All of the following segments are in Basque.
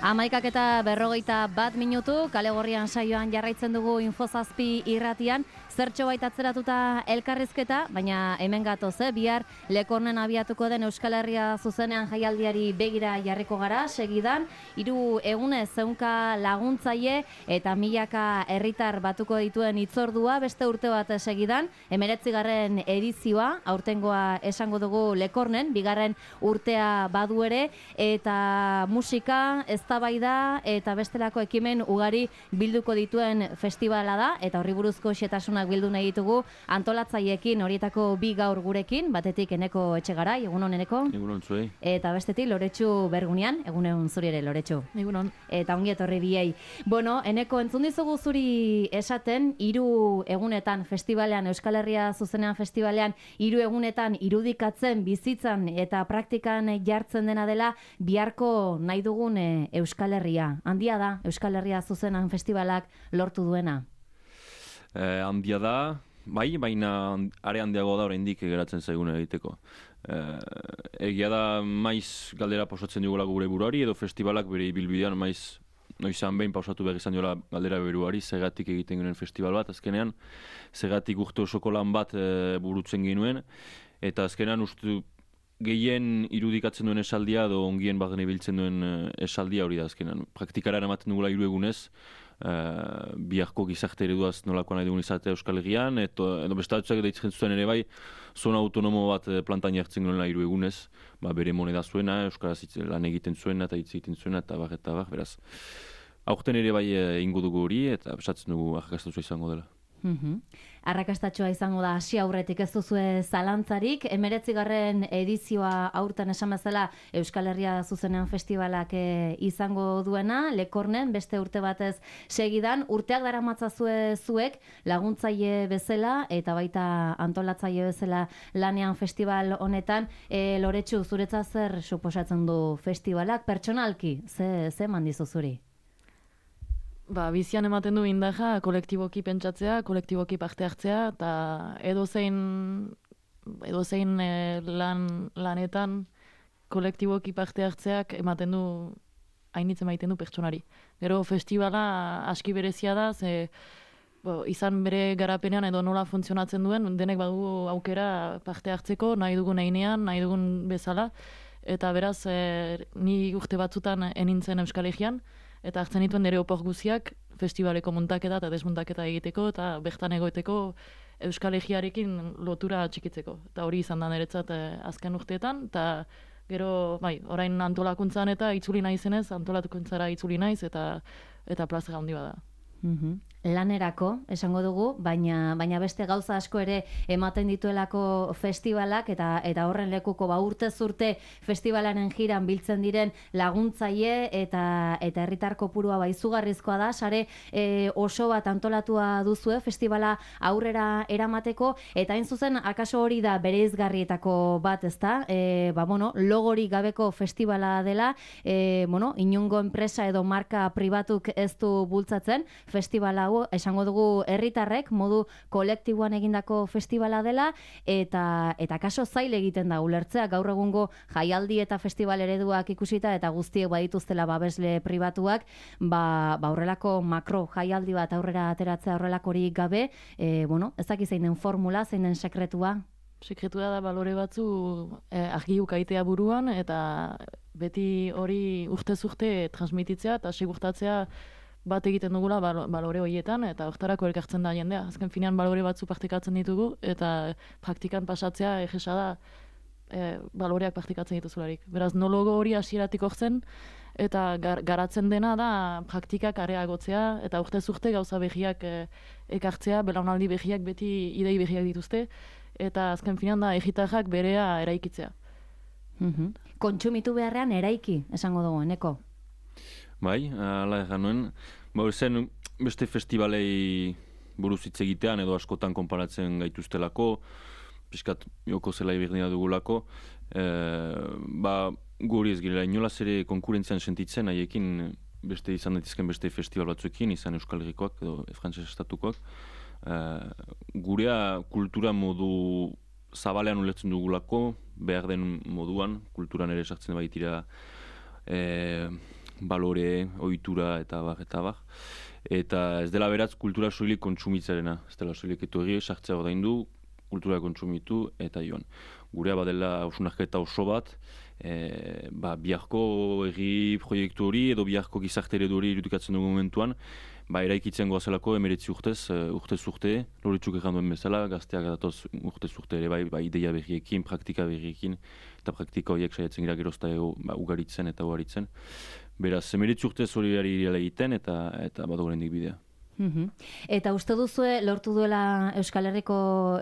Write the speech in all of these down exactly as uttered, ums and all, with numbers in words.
Hamaikak eta berrogeita bat minutu, Kale Gorrian saioan jarraitzen dugu Infozazpi irratian, zertxo baita atzeratuta elkarrizketa, baina hemen gatoz, eh? Bihar Lekornen abiatuko den Euskal Herria zuzenean jaialdiari begira jarriko gara, segidan, hiru egunez zeunka laguntzaile eta milaka herritar batuko dituen hitzordua, beste urte bat segidan, hemeretzigarren edizioa, aurtengoa esango dugu Lekornen, bigarren urtea badu ere, eta musika, eztabaida eta bestelako ekimen ugari bilduko dituen festivala da, eta horri buruzko xetasunak bildu nahi ditugu antolatzaileekin, horietako bi gaur gurekin, batetik Eneko Etxegarai, egunon Eneko? Egunon zuei. Eta bestetik Loretsu Bergunian, egunon zuri ere Loretsu. Egunon. Eta ongi etorri biei. Bueno, Eneko, entzun dizugu zuri esaten, hiru egunetan festivalean, Euskal Herria zuzenean festivalean, hiru egunetan irudikatzen, bizitzan eta praktikan jartzen dena dela biharko nahi dugun e, Euskal Herria. Handia da Euskal Herria zuzenean festivalak lortu duena? Eh, handia da, bai, baina are handiago da oraindik geratzen zaiguna egiteko. Eh, egia da maiz galdera pausatzen dugula gure buruari, edo festivalak bere ibilbidean maiz noizan behin pausatu behar izan diola galdera beruari, zegatik egiten genuen festival bat, azkenean, zegatik urte osoko lan bat e, burutzen genuen, eta azkenean uste gehien irudikatzen duen esaldia, edo ongien bagen ibiltzen duen esaldia hori da azkenean. Praktikara ematen dugula hiru egunez, Uh, biharko gizarte ereduaz nolakoa nahi dugun izatea Euskal Herrian, eto, edo bestatzen deitzen zuen ere bai, zona autonomo bat plantan jartzen genuela hiru egunez, ba, bere moneda zuena, Euskaraz lan egiten zuena eta hitz egiten zuena, eta bar, eta bar, beraz. Aurten ere bai ingo dugu hori, eta besatzen dugu arrakastatua izango dela. Mm-hmm. Arrakastatxoa izango da hasi aurretik ez duzue zalantzarik, hemeretzigarren edizioa aurten esan bezala Euskal Herria zuzenean festivalak e, izango duena, Lekornen beste urte batez segidan, urteak daramatzazue zuek laguntzaile bezala eta baita antolatzaile bezala lanean festival honetan, e, Loretsu, zuretzat zer suposatzen du festivalak, pertsonalki, ze, ze mandizu zuri? Ba, bizian ematen du indaja kolektiboki pentsatzea, kolektiboki parte hartzea, eta edozein, edozein e, lan, lanetan kolektiboki parte hartzeak ematen du, hainitzen maiten du pertsonari. Gero festivala aski berezia da, ze bo, izan bere garapenean edo nola funtzionatzen duen, denek badugu aukera parte hartzeko, nahi dugun einean, nahi dugun bezala, eta beraz, e, ni urte batzutan enintzen Euskal Herrian, eta hartzen dituen nire opor guziak festivaleko muntaketa eta desmuntaketa egiteko eta bertan egoiteko Euskal Herriarekin lotura txikitzeko. Eta hori izan da niretzat eh, azken urteetan, eta gero, bai, orain antolakuntzan eta itzuli naizenez, antolakuntzara itzuli naiz eta eta plazera handi bada. Mm-hmm. Lanerako, esango dugu, baina baina beste gauza asko ere ematen dituelako festivalak eta eta horren lekuko ba urtez urte festivalaren jiran biltzen diren laguntzaile eta eta herritar kopurua ba izugarrizkoa da, sare e, oso bat antolatua duzue festivala aurrera eramateko, eta hain zuzen akaso hori da bereizgarrietako bat, ezta? E, ba bueno, logorik gabeko festivala dela, e, bueno, inungo enpresa edo marka pribatuk ez du bultzatzen festivala hau, esango dugu herritarrek modu kolektiboan egindako festivala dela, eta eta kaso zail egiten da ulertzea gaur egungo jaialdi eta festival ereduak ikusita eta guztiek badituztela babesle pribatuak, ba, ba horrelako makro jaialdi bat aurrera ateratzea horrelakorik gabe, e, bueno, ez dakiz zein den formula, zein den sekretua? Sekretua da balore batzu eh, argi ukaitea buruan, eta beti hori urtez urte transmititzea eta segurtatzea bat egiten dugula balore horietan, eta hortarako elkartzen da jendea. Azken finean balore batzu praktikatzen ditugu, eta praktikan pasatzea egesa da e, baloreak praktikatzen dituzularik. Beraz, nologo hori hasieratik hortzen, eta gar, garatzen dena da praktikak areagotzea, eta urtez urte gauza behiak e, ekartzea, belaunaldi behiak beti idei behiak dituzte, eta azken finean da egitarrak berea eraikitzea. Mm-hmm. Kontsumitu beharrean eraiki, esango dugu, Eneko? Bai, ala egan nuen. Ba, zen beste festivalei buruz hitz egitean edo askotan konparatzen gaituztelako, pixkat joko zela iberdina dugulako, e, ba, guri ez girela inolaz ere konkurentzian sentitzen, haiekin beste izan daitezken beste festival batzuekin, izan Euskal Herrikoak edo Frantses estatukoak. E, gurea kultura modu zabalean ulertzen dugulako, behar den moduan, kulturan ere sartzen baitira e, balore, ohitura eta bar, eta bar. Eta ez dela beratz kultura soilik kontsumitzarena, ez dela soilik etorri, sartzea ordaindu, kultura kontsumitu eta joan. Gurea badela hausnarketa oso bat, e, ba, biharko herri proiektu hori edo biharko gizarte eredu hori irudikatzen dugu momentuan, ba, eraikitzen goazelako emeretzi urtez, urtez urte, Loritzuk egan duen bezala, gazteak datoz urtez urte ere bai, ba, ideia berriekin, praktika berriekin, eta praktika horiek saiatzen gira gerozta ba, ugaritzen eta ugaritzen. Beraz, emeretzi urtez hori irela egiten eta, eta bat horrendik bidea. Mm-hmm. Eta uste duzue lortu duela Euskal Herriko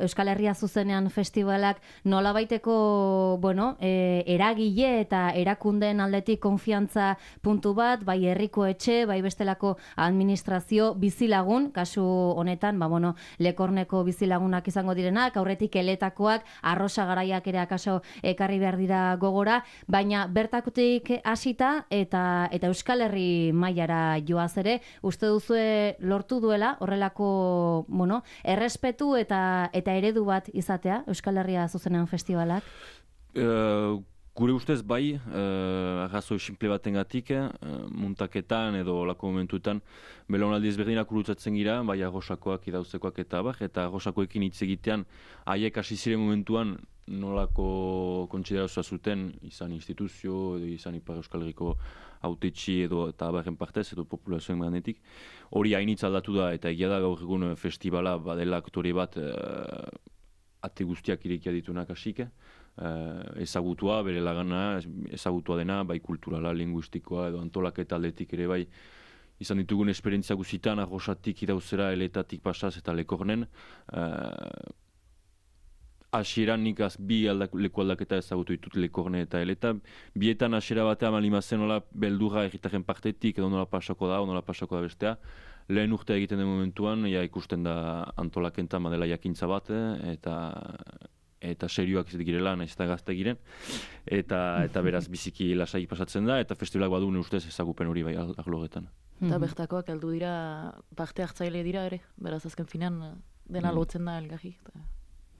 Euskal Herria zuzenean festivalak nolabaiteko, bueno, e, eragile eta erakundeen aldetik konfiantza puntu bat, bai herriko etxe, bai bestelako administrazio bizilagun, kasu honetan, ba bueno, Lekorneko bizilagunak izango direnak, aurretik eletakoak, arrosa garaiak ere akaso ekarri behar dira gogora, baina bertakotik hasita eta eta Euskal Herri mailara joaz ere, uste duzue lortu duela horrelako, bueno, errespetu eta eta eredu bat izatea Euskal Herria zuzenean festivalak? Uh, gure ustez bai, uh, arrazoi simple batengatik, uh, muntaketan edo olako momentuetan belaunaldi ezberdinak urutzatzen gira, bai arrosakoak, idauzekoak eta bar, eta arrosakoekin hitz egitean haiek hasi ziren momentuan nolako kontsiderazioa zuten izan instituzio edo izan Ipar Euskal Herriko autetxi edo eta abarren partez edo populazioen ganetik. Hori hainitz aldatu da eta egia da gaur egun festivala badela aktore bat uh, ate guztiak irekia ditunak hasik, uh, ezagutua, bere lagana, ezagutua dena, bai kulturala, linguistikoa edo antolaketa aldetik ere bai izan ditugun esperientzia guzitan, arrosatik idauzera, eletatik pasaz eta Lekornen. Uh, Hasieran nik az bi aldak, leku aldaketa ezagutu ditut Lekorne eta eleta. Bietan hasiera batean malimazen nola beldurra erritaren partetik edo nola pasako da, nola pasako da bestea. Lehen urtea egiten den momentuan, ja ikusten da antolakenta madela jakintza bat, eta eta serioak izatik girela, nahiz eta gazte giren. Eta, eta beraz biziki lasai pasatzen da, eta festivalak badu ne ustez ezagupen hori bai arlogetan. Eta bertakoak heldu dira, parte hartzaile dira ere, beraz azken finean dena lotzen da elgarri.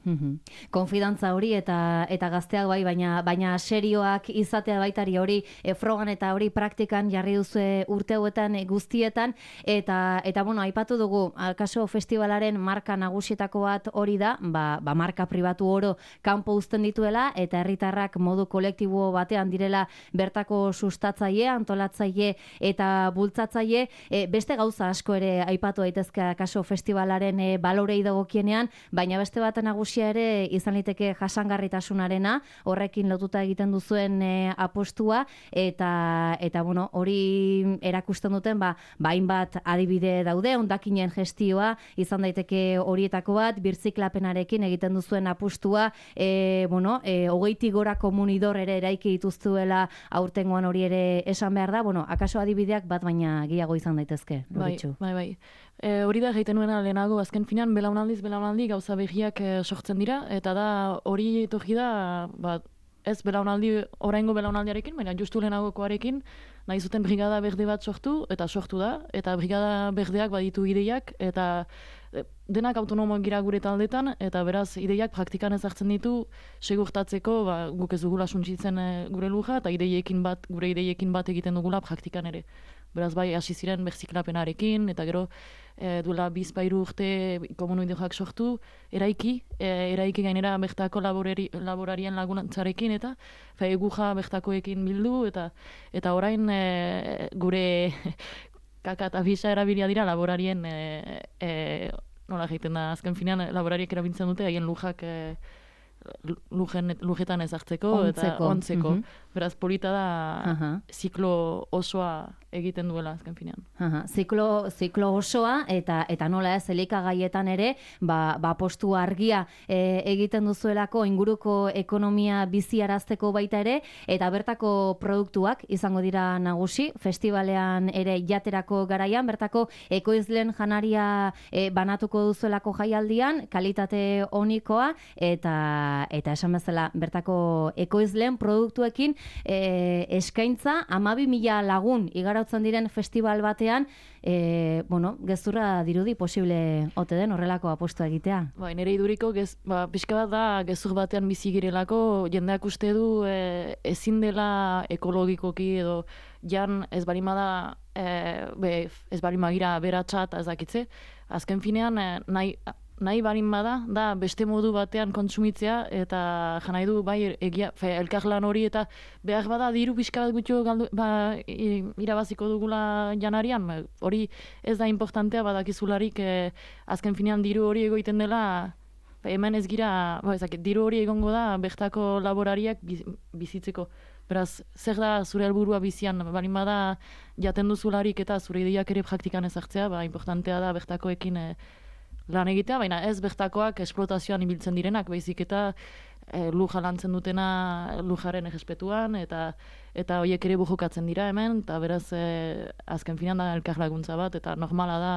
Mm-hmm. Konfidantza hori eta eta gazteak bai, baina baina serioak izatea baitari hori e, frogan eta hori praktikan jarri duzu urte hauetan e, guztietan eta eta bueno, aipatu dugu akaso festivalaren marka nagusietako bat hori da, ba, ba marka pribatu oro kanpo uzten dituela eta herritarrak modu kolektibo batean direla bertako sustatzaile, antolatzaile eta bultzatzaile, e, beste gauza asko ere aipatu daitezke akaso festivalaren e, balorei dagokienean, baina beste bat nagusi ere izan liteke jasangarritasunarena, horrekin lotuta egiten duzuen e, apostua eta eta bueno, hori erakusten duten ba hainbat adibide daude, hondakinen gestioa izan daiteke horietako bat, birziklapenarekin egiten duzuen apostua, e, bueno, e, hogeitik gora komunidor ere eraiki dituztuela aurtengoan hori ere esan behar da, bueno, akaso adibideak bat baina gehiago izan daitezke. Bai, bai, bai. E, hori da egiten nuena lehenago, azken finean belaunaldiz belaunaldi gauza behiak e, sortzen dira, eta da hori etorri da, ba, ez belaunaldi, oraingo belaunaldiarekin, baina justu lehenagokoarekin, nahi zuten brigada berde bat sortu, eta sortu da, eta brigada berdeak baditu ideiak, eta e, denak autonomoak gira gure taldetan, eta beraz ideiak praktikan ezartzen ditu, segurtatzeko, ba, guk ez dugula suntsitzen e, gure luja, eta ideiekin bat, gure ideiekin bat egiten dugula praktikan ere. Beraz bai, hasi ziren berziklapenarekin, eta gero e, duela bizpairu urte komunoideoak sortu, eraiki, e, eraiki gainera bertako laborari, laborarien laguntzarekin, eta eguja bertakoekin bildu, eta eta orain e, gure kaka eta bisa erabilia dira laborarien, e, e, nola egiten da, azken finean laborariek erabiltzen dute, haien lujak e, lujen, lujetan ezartzeko eta ontzeko. Mm-hmm. Beraz, polita da uh-huh. ziklo osoa egiten duela azken finean. Uh-huh. Ziklo, ziklo osoa eta eta nola ez elikagaietan ere, ba, ba postu argia e, egiten duzuelako inguruko ekonomia biziarazteko baita ere, eta bertako produktuak izango dira nagusi, festivalean ere jaterako garaian, bertako ekoizlen janaria e, banatuko duzuelako jaialdian, kalitate onikoa, eta eta esan bezala bertako ekoizlen produktuekin e, eskaintza hamabi mila lagun igaro antolatzen diren festival batean, e, bueno, gezurra dirudi posible ote den horrelako apostua egitea. Bai, nire iduriko, gez, ba, pixka bat da, gezur batean bizi girelako, jendeak uste du e, ezin dela ekologikoki edo jan ez barima da, e, be, ez barima gira beratxat ezakitze, azken finean e, nahi, nahi barin bada, da beste modu batean kontsumitzea, eta janai du bai egia, fe, elkarlan hori, eta behar bada diru pixka bat gutxo galdu, ba, irabaziko dugula janarian, hori ez da importantea badakizularik, e, azken finean diru hori egoiten dela, hemen ez gira, ba, ezak, diru hori egongo da bertako laborariak bizitzeko. Beraz, zer da zure helburua bizian, balin bada jaten duzularik eta zure ideiak ere praktikan ezartzea, ba, importantea da bertakoekin e, lan egitea, baina ez bertakoak esplotazioan ibiltzen direnak, baizik eta e, luja lantzen dutena lujaren errespetuan, eta eta horiek ere bujokatzen dira hemen, eta beraz e, azken finan da elkarlaguntza bat, eta normala da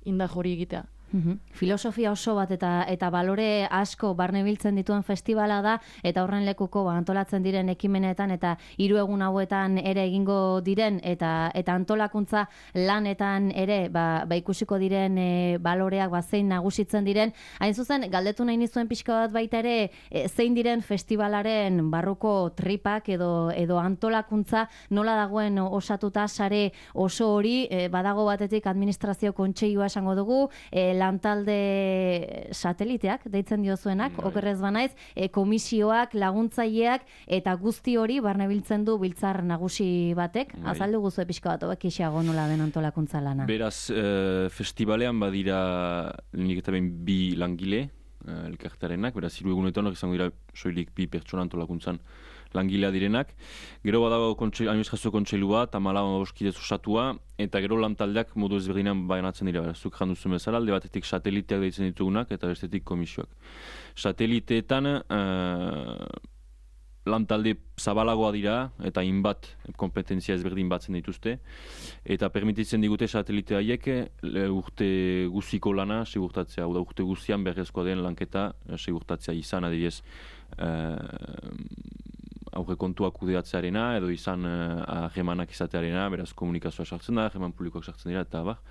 indar hori egitea. Uhum. Filosofia oso bat eta eta balore asko barne biltzen dituen festivala da, eta horren lekuko ba, antolatzen diren ekimenetan eta hiru egun hauetan ere egingo diren eta eta antolakuntza lanetan ere ba, ba ikusiko diren e, baloreak ba, zein nagusitzen diren. Hain zuzen, galdetu nahi nizuen pixka bat baita ere e, zein diren festivalaren barruko tripak edo edo antolakuntza nola dagoen osatuta sare oso hori, e, badago batetik administrazio kontseilua esango dugu, e, lantalde sateliteak, deitzen diozuenak, mm, okerrez banaiz, e, komisioak, laguntzaileak, eta guzti hori barnebiltzen du biltzar nagusi batek. Bai. Azaldu guzu pixka bat, hobek isiago nola den antolakuntza lana. Beraz, e, festivalean badira nik eta behin bi langile, e, elkartarenak, beraz, hiru egunetan hori izango dira soilik bi pertsona antolakuntzan langilea direnak. Gero badago administrazio kontseilu bat, hamalau oskidez osatua, eta gero lantaldeak modu ezberdinan banatzen dira. Zuk janduzu bezala, alde batetik sateliteak deitzen ditugunak, eta bestetik komisioak. Sateliteetan uh, lantalde zabalagoa dira, eta inbat kompetentzia ezberdin batzen dituzte, eta permititzen digute satelite haiek urte guziko lana segurtatzea, hau da urte guztian berrezkoa den lanketa segurtatzea izan, adibidez, uh, aurre kontua kudeatzearena, edo izan ahemanak uh, izatearena, beraz komunikazioa sartzen da, aheman publikoak sartzen dira, eta bar.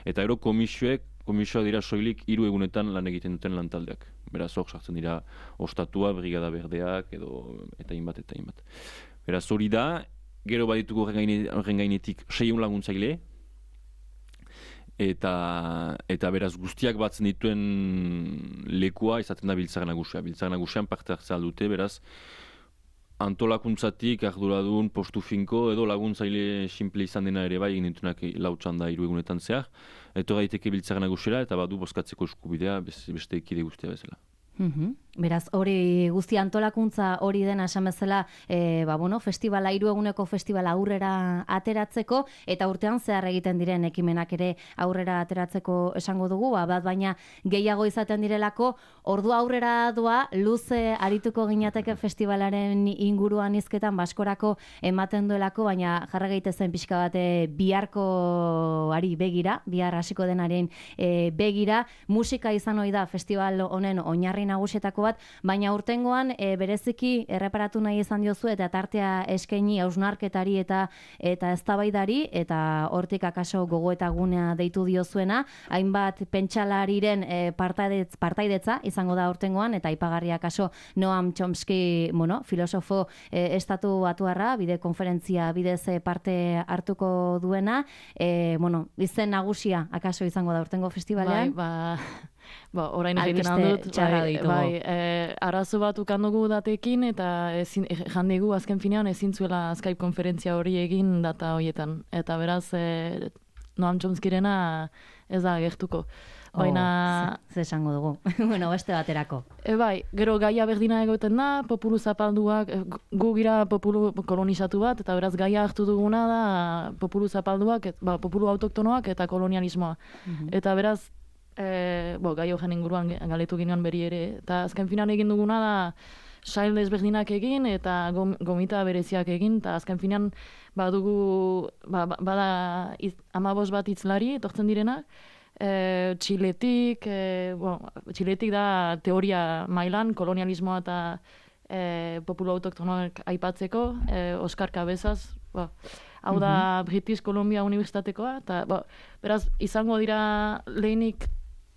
Eta gero komisioek, komisioa dira soilik hiru egunetan lan egiten duten lantaldeak. Beraz hor sartzen dira ostatua, brigada berdeak, edo eta inbat, eta inbat. Beraz hori da, gero badituko horren gainetik seiehun laguntzaile, eta eta beraz guztiak batzen dituen lekua izaten da biltzar nagusia. Biltzar nagusian parte hartzea dute, beraz, antolakuntzatik arduradun postu finko edo laguntzaile simple izan dena ere bai egin ditunak lautsan da hiru egunetan zehar. Eto gaiteke biltzar nagusera eta badu bozkatzeko eskubidea beste ekide guztia bezala. Mm-hmm. Beraz, hori guzti antolakuntza hori dena esan bezala, e, ba, bueno, festivala, hiru eguneko festivala aurrera ateratzeko, eta urtean zehar egiten diren ekimenak ere aurrera ateratzeko esango dugu, ba, bat baina gehiago izaten direlako, ordu aurrera doa, luze arituko ginateke festivalaren inguruan izketan, baskorako ematen duelako, baina jarra gaitezen pixka bate biharko ari begira, bihar hasiko denaren e, begira, musika izan ohi da festival honen oinarri nagusietako bat, baina urtengoan e, bereziki erreparatu nahi izan diozu eta tartea eskaini hausnarketari eta eta eztabaidari eta hortik akaso gogoeta gunea deitu diozuena, hainbat pentsalariren e, partaidetz, partaidetza izango da urtengoan eta aipagarria akaso Noam Chomsky, bueno, filosofo e, estatu batuarra, bide konferentzia bidez parte hartuko duena, e, bueno, izen nagusia akaso izango da urtengo festivalean. Bai, ba... Ba, orain egiten handut, bai, bai, e, arazo bat ukandugu datekin, eta ezin, e, jandegu azken finean ezin zuela Skype konferentzia hori egin data horietan. Eta beraz, e, Noam Chomskyrena ez da gertuko. Baina... Oh, ze esango dugu, bueno, beste baterako. E, bai, gero gaia berdina egoten da, populu zapalduak, gu gira populu kolonizatu bat, eta beraz gaia hartu duguna da populu zapalduak, et, ba, populu autoktonoak eta kolonialismoa. Mm-hmm. Eta beraz, E, bo, gai horren inguruan galetu ginean beri ere, eta azken finan egin duguna da sail desberdinak egin eta gomita bereziak egin, eta azken finan badugu, ba, bada iz, amabos bat hitzlari etortzen direnak, e, Txiletik, e, bo, Txiletik da teoria mailan, kolonialismoa eta e, populu autoktonoak aipatzeko, e, Oskar Cabezas, bo, hau da British Columbia Unibertsitatekoa, eta ba, beraz, izango dira lehenik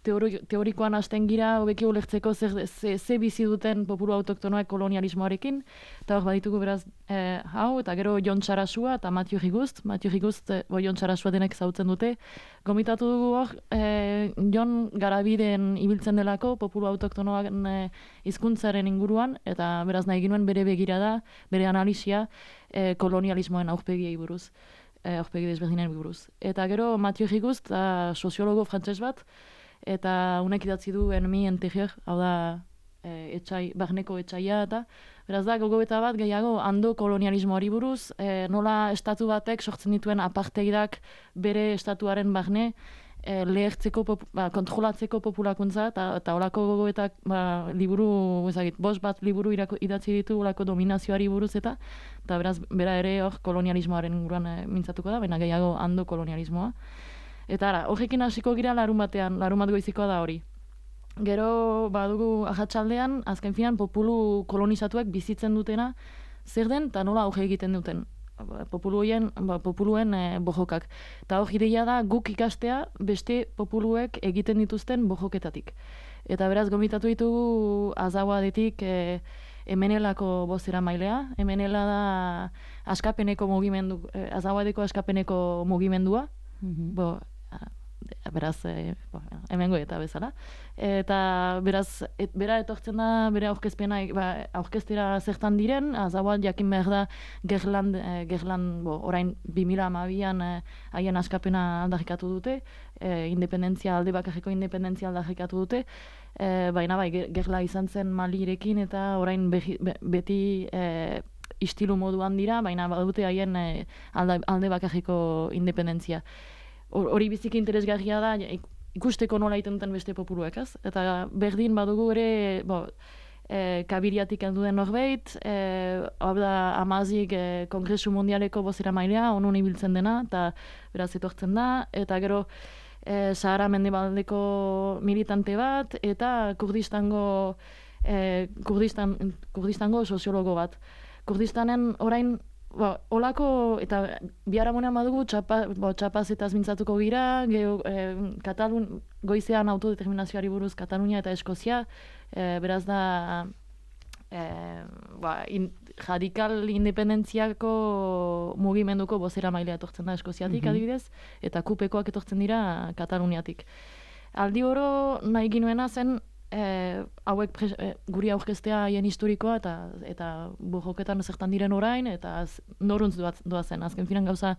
teori, teorikoan hasten gira, hobeki ulertzeko zer, ze, ze bizi duten populu autoktonoak kolonialismoarekin, eta hor baditugu beraz eh, hau, eta gero Jon Sarasua eta Mathieu Rigust, Mathieu Rigust, eh, bo Jon Sarasua denek zautzen dute, gomitatu dugu hor, eh, Jon Garabiden ibiltzen delako populu autoktonoak eh, hizkuntzaren inguruan, eta beraz nahi ginuen bere begirada, bere analisia eh, kolonialismoen aurpegiei buruz. Aurpegi desberdinen buruz. Eta gero Mathieu Rigust, soziologo frantses bat, eta unek idatzi du Ennemi Intérieur, hau da e, etxai, barneko etxaia, eta beraz da gogoeta bat gehiago ando kolonialismoari buruz, e, nola estatu batek sortzen dituen apartheidak bere estatuaren barne, e, lehertzeko, ba, kontrolatzeko populakuntza, eta holako gogoetak ba, liburu, ezagit, bost bat liburu irako, idatzi ditu holako dominazioari buruz, eta eta beraz, bera ere hor kolonialismoaren inguruan e, mintzatuko da, baina gehiago ando kolonialismoa. Eta ara, horrekin hasiko gira larun batean, larun bat goizikoa da hori. Gero, badugu ahatsaldean, azken finan, populu kolonizatuek bizitzen dutena, zer den, eta nola hori egiten duten. Populuen, ba, populuen e, bojokak. Eta hor ideia da guk ikastea beste populuek egiten dituzten bojoketatik. Eta beraz, gomitatu ditugu Azawadetik e, Emenelako bozera mailea. Emenela da askapeneko mugimendu, e, Azawadeko askapeneko mugimendua. Mm-hmm. Bo, beraz, e, bo, hemengo eta bezala. Eta beraz, et, bera etortzen da, bere aurkezpena, ba, aurkeztera zertan diren, Azawad jakin behar da Gerland, e, Gerland bo, orain bi mila hamabian e, haien askapena aldarrikatu dute, e, independentzia, alde bakarreko independentzia aldarrikatu dute, e, baina bai, Gerla izan zen Malirekin eta orain behi, be, beti e, istilu moduan dira, baina badute haien e, alde, alde bakarreko independentzia. Hori biziki interesgarria da, ikusteko nola egiten duten beste populuek, ez? Eta berdin badugu ere, bo, e, Kabiriatik duen norbait, e, hau da Amazik e, Kongresu Mundialeko bozera mailea, onun ibiltzen dena, eta beraz etortzen da, eta gero e, Sahara Mendebaldeko militante bat, eta Kurdistango, e, Kurdistan, Kurdistango soziologo bat. Kurdistanen orain, Ba, olako, eta biharamunean badugu, txapa, bo, txapazetaz mintzatuko gira, geho, e, Katalun, goizean autodeterminazioari buruz Katalunia eta Eskozia, e, beraz da e, ba, in, radikal independentziako mugimenduko bozera mailea etortzen da Eskoziatik, mm-hmm. adibidez, eta kupekoak etortzen dira Kataluniatik. Aldi oro nahi ginuena zen, E, hauek pres, e, guri aurkeztea haien historikoa eta eta bojoketan zertan diren orain eta noruntz doa zen. Azken finan gauza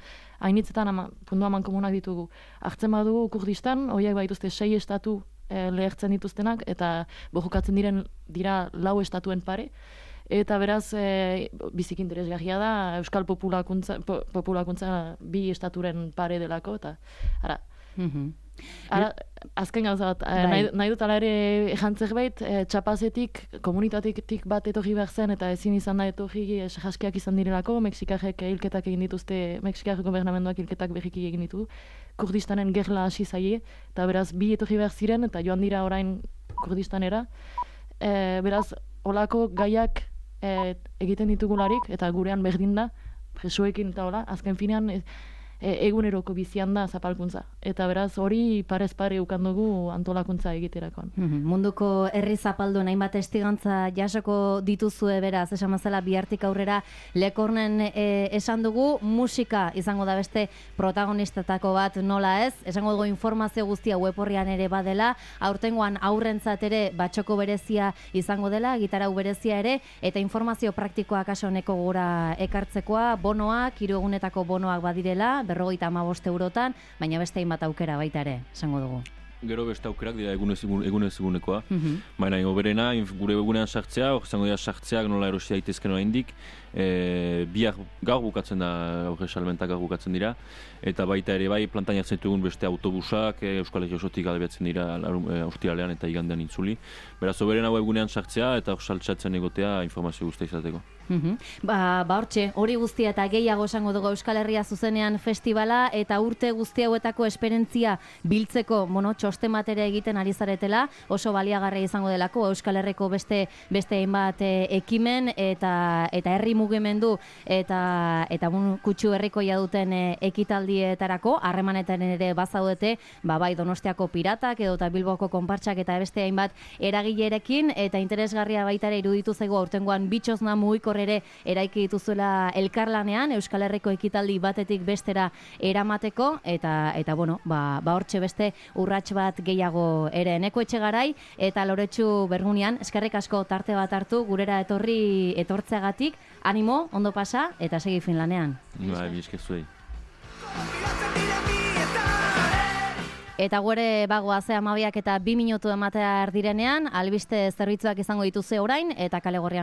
hainitzetan ama, pundu aman komunak ditugu. Hartzen badugu Kurdistan, horiek baituzte sei estatu e, lehertzen dituztenak eta bojokatzen diren dira lau estatuen pare. Eta beraz, e, biziki interesgarria da Euskal populakuntza, po, populakuntza bi estaturen pare delako eta ara. Mm-hmm. Ara, azken gauza bat, bai. nahi, nahi dut ala ere jantzerbait, e, txapazetik, komunitatik bat etorri behar zen, eta ezin izan da etorri jaskiak izan direlako, Mexikarrek hilketak egin dituzte, Mexikarrek gobernamenduak hilketak berriki egin ditu, Kurdistanen gerla hasi zaie, eta beraz bi etorri behar ziren, eta joan dira orain Kurdistanera, e, beraz, olako gaiak e, egiten ditugularik, eta gurean berdin da, presoekin eta hola, azken finean, e, E, eguneroko bizian da zapalkuntza. Eta beraz hori parez pare ukandugu antolakuntza egiterakoan. Mm-hmm. Munduko herri zapaldu hainbat testigantza jasoko dituzue beraz, esan mazela bihartik aurrera Lekornen e, esan dugu, musika izango da beste protagonistetako bat nola ez, esango dugu informazio guztia web horrian ere badela, aurtengoan aurrentzat ere batxoko berezia izango dela, gitarau berezia ere, eta informazio praktikoa kaso honeko gura ekartzekoa, bonoak, hiru egunetako bonoak badirela, berrogeita hamabost eurotan, baina beste hainbat aukera baita ere, esango dugu. Gero beste aukerak dira egunez egunez egunekoa. Mm-hmm. Baina hoberena gure egunean sartzea, hor izango dira sartzeak nola erosi daitezken oraindik. E, biak gaur bukatzen da, horre salmentak gaur bukatzen dira. Eta baita ere bai plantan jartzen ditugun beste autobusak, e, Euskal Herria osotik albiatzen dira e, ostiralean eta igandean itzuli. Beraz hoberena egunean sartzea eta hor saltsatzen egotea informazio guztia izateko. Mhm. Ba, ba hortxe, hori guztia eta gehiago esango dugu Euskal Herria zuzenean festivala eta urte guzti hauetako esperientzia biltzeko, bueno, txosten bat ere egiten ari zaretela, oso baliagarria izango delako Euskal Herriko beste beste hainbat e, ekimen eta eta herri mugimendu eta eta bueno, kutsu herrikoia duten e, ekitaldietarako harremanetan ere bazaudete, ba bai Donostiako Piratak edo eta Bilboko konpartsak eta beste hainbat eragilerekin eta interesgarria baita ere iruditu zaigu aurtengoan bitxosna mugikor ere eraiki dituzuela elkarlanean Euskal Herriko ekitaldi batetik bestera eramateko eta eta bueno, ba ba hortxe beste urrats bat gehiago ere Eneko Etxegarai eta Loretsu Bergunian eskerrik asko tarte bat hartu gurera etorri etortzeagatik, animo, ondo pasa eta segi Finlanean. Bai, mi esker zuei. Eta gure bagoa ze hamabiak eta bi minutu ematea erdirenean, albiste zerbitzuak izango dituze orain eta Kale Gorrian